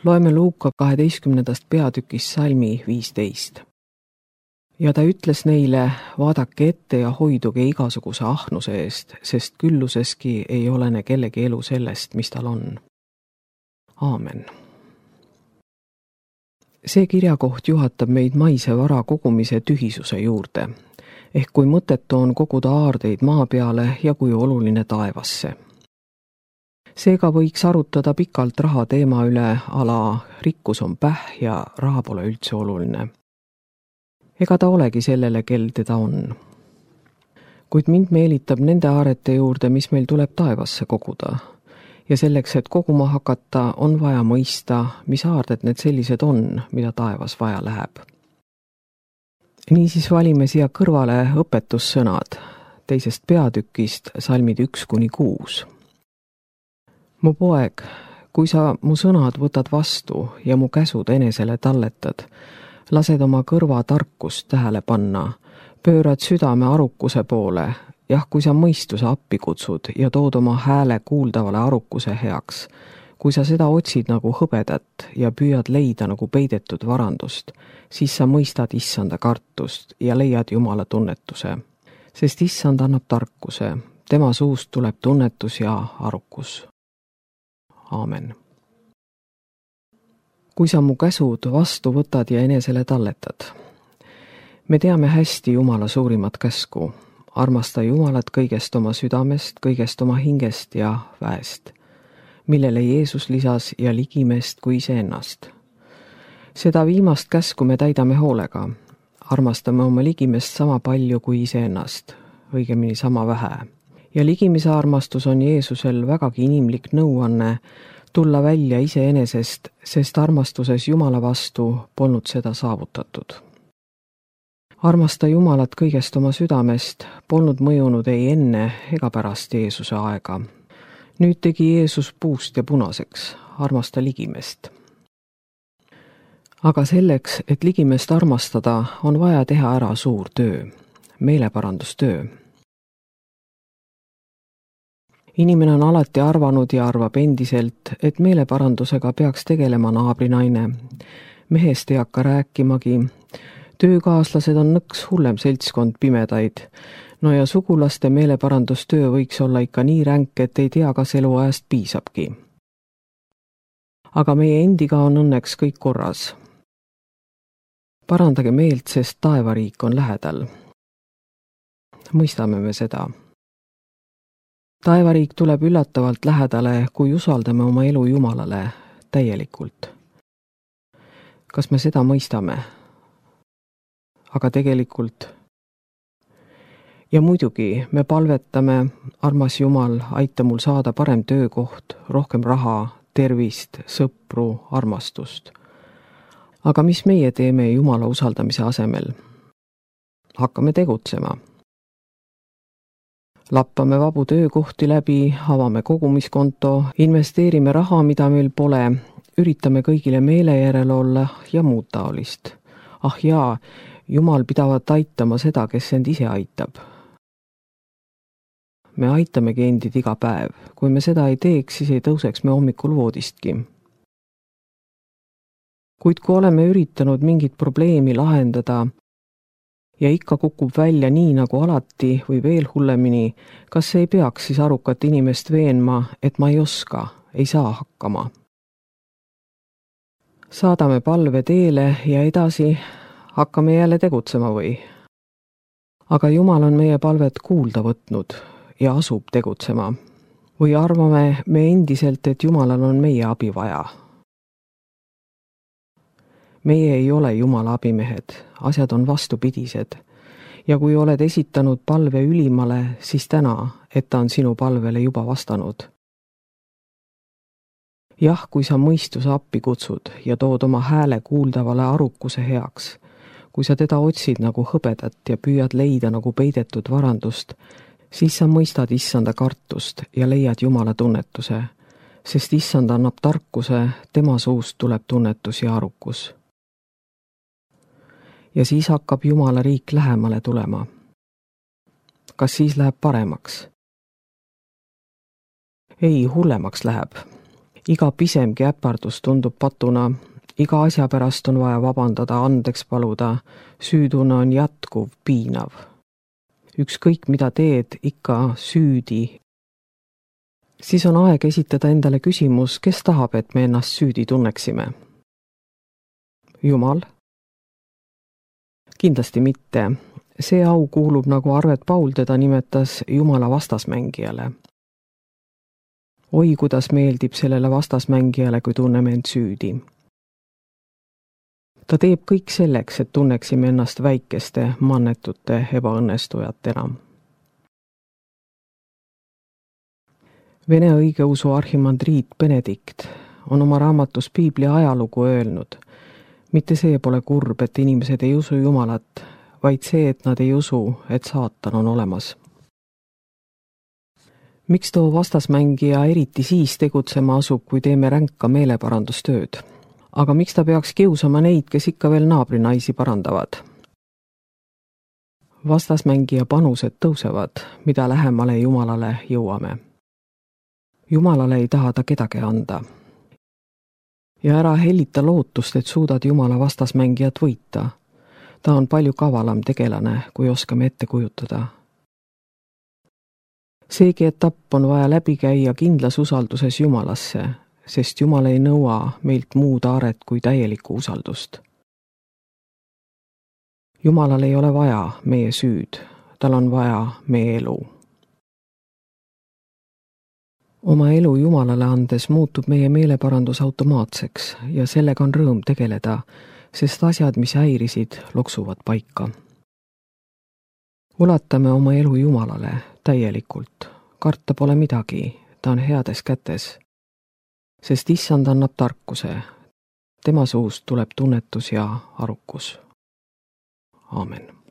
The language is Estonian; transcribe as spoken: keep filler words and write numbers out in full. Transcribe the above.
Loeme Luuka kaheteistkümnendast peatükist salmi viisteist. Ja ta ütles neile, vaadake ette ja hoiduge igasuguse ahnuse eest, sest külluseski ei olene kellegi elu sellest, mis tal on. Aamen. See kirjakoht juhatab meid maise vara kogumise tühisuse juurde, ehk kui mõttetu on koguda aardeid maa peale ja kui oluline taevasse. Seega võiks arutada pikalt raha teema üle, ala rikkus on päh ja raha pole üldse oluline. Ega ta olegi sellele, kel teda on. Kuid mind meelitab nende aarete juurde, mis meil tuleb taevasse koguda. Ja selleks, et koguma hakata, on vaja mõista, mis aarded need sellised on, mida taevas vaja läheb. Niisiis valime siia kõrvale õpetussõnad teisest peatükist, salmid üks kuni kuus. Mu poeg, kui sa mu sõnad võtad vastu ja mu käsud enesele talletad, lased oma kõrva tarkust tähele panna, pöörad südame arukuse poole, jah, kui sa mõistuse appi kutsud ja tood oma hääle kuuldavale arukuse heaks, kui sa seda otsid nagu hõbedat ja püüad leida nagu peidetud varandust, siis sa mõistad issanda kartust ja leiad Jumala tunnetuse, sest issand annab tarkuse, tema suust tuleb tunnetus ja arukus. Aamen. Kui sa mu käsud vastu võtad ja enesele talletad. Me teame hästi Jumala suurimat käsku. Armasta Jumalat kõigest oma südamest, kõigest oma hingest ja väest, millele Jeesus lisas ja ligimest kui iseennast. Seda viimast käsku me täidame hoolega. Armastame oma ligimest sama palju kui iseennast, õigemini sama vähe. Ja ligimise armastus on Jeesusel vägagi inimlik nõuanne tulla välja iseenesest, sest armastuses Jumala vastu polnud seda saavutatud. Armasta Jumalat kõigest oma südamest polnud mõjunud ei enne ega pärast Jeesuse aega. Nüüd tegi Jeesus puust ja punaseks, armasta ligimest. Aga selleks, et ligimest armastada, on vaja teha ära suur töö, meeleparandustöö. Inimene on alati arvanud ja arvab endiselt, et meeleparandusega peaks tegelema naabrinaine. Mehest ei hakka rääkimagi. Töökaaslased on nõks hullem seltskond pimedaid. No ja sugulaste meeleparandustöö võiks olla ikka nii ränk, et ei tea, kas eluajast piisabki. Aga meie endiga on õnneks kõik korras. Parandage meelt, sest taevariik on lähedal. Mõistame me seda. Taevariik tuleb üllatavalt lähedale, kui usaldame oma elu Jumalale täielikult. Kas me seda mõistame? Aga tegelikult. Ja muidugi me palvetame, armas Jumal, aita mul saada parem töökoht, rohkem raha, tervist, sõpru, armastust. Aga mis meie teeme Jumala usaldamise asemel? Hakkame tegutsema. Lappame vabu töökohti läbi, avame kogumiskonto, investeerime raha, mida meil pole, üritame kõigile meele järel olla ja muud taolist. Ah jaa, Jumal pidavat aitama seda, kes end ise aitab. Me aitamegi endid iga päev. Kui me seda ei teeks, siis ei tõuseks me hommikul voodistki. Kuid kui oleme üritanud mingit probleemi lahendada, ja ikka kukub välja nii nagu alati või veel hullemini, kas ei peaks siis arukat inimest veenma, et ma ei oska, ei saa hakkama. Saadame palve teele ja edasi hakkame jälle tegutsema või? Aga Jumal on meie palvet kuulda võtnud ja asub tegutsema. Või arvame me endiselt, et Jumalal on meie abi vaja? Meie ei ole Jumala abimehed, asjad on vastupidised. Ja kui oled esitanud palve ülimale, siis täna, et ta on sinu palvele juba vastanud. Jah, kui sa mõistuse appi kutsud ja tood oma hääle kuuldavale arukuse heaks, kui sa teda otsid nagu hõbedat ja püüad leida nagu peidetud varandust, siis sa mõistad issanda kartust ja leiad Jumala tunnetuse, sest issand annab tarkuse, tema suust tuleb tunnetus ja arukus. Ja siis hakkab Jumala riik lähemale tulema. Kas siis läheb paremaks? Ei, hullemaks läheb. iga pisemgi äpardus tundub patuna, iga asja pärast on vaja vabandada, andeks paluda, süütunne on jätkuv, piinav. Ükskõik mida teed, ikka süüdi. Siis on aeg esitada endale küsimus, kes tahab, et me ennast süüdi tunneksime? Jumal? Kindlasti mitte. See au kuulub, nagu Arvet Paul teda nimetas, Jumala vastasmängijale. Oi, kuidas meeldib sellele vastasmängijale, kui tunneme end süüdi. Ta teeb kõik selleks, et tunneksime ennast väikeste, mannetute ebaõnnestujatena. Vene õigeusu arhimandriit Benedikt on oma raamatus Piibli ajalugu öelnud, mitte see pole kurb, et inimesed ei usu Jumalat, vaid see, et nad ei usu, et saatan on olemas. Miks too vastasmängija eriti siis tegutsema asub, kui teeme ränka meeleparandustööd? Aga miks ta peaks kiusama neid, kes ikka veel naabrinaisi parandavad? Vastasmängija panused tõusevad, mida lähemale Jumalale jõuame. Jumalale ei taha ta kedagi anda. Ja ära hellita lootust, et suudad Jumala vastasmängijat võita. Ta on palju kavalam tegelane, kui oskame ette kujutada. Seegi etapp on vaja läbi käia kindlas usalduses Jumalasse, sest Jumal ei nõua meilt muud aaret kui täielikku usaldust. Jumalal ei ole vaja meie süüd, tal on vaja meie elu. Oma elu Jumalale andes muutub meie meeleparandus automaatseks ja sellega on rõõm tegeleda, sest asjad, mis häirisid, loksuvad paika. Ulatame oma elu Jumalale täielikult. Karta pole midagi, ta on heades kätes. Sest issand annab tarkuse. Tema suust tuleb tunnetus ja arukus. Aamen.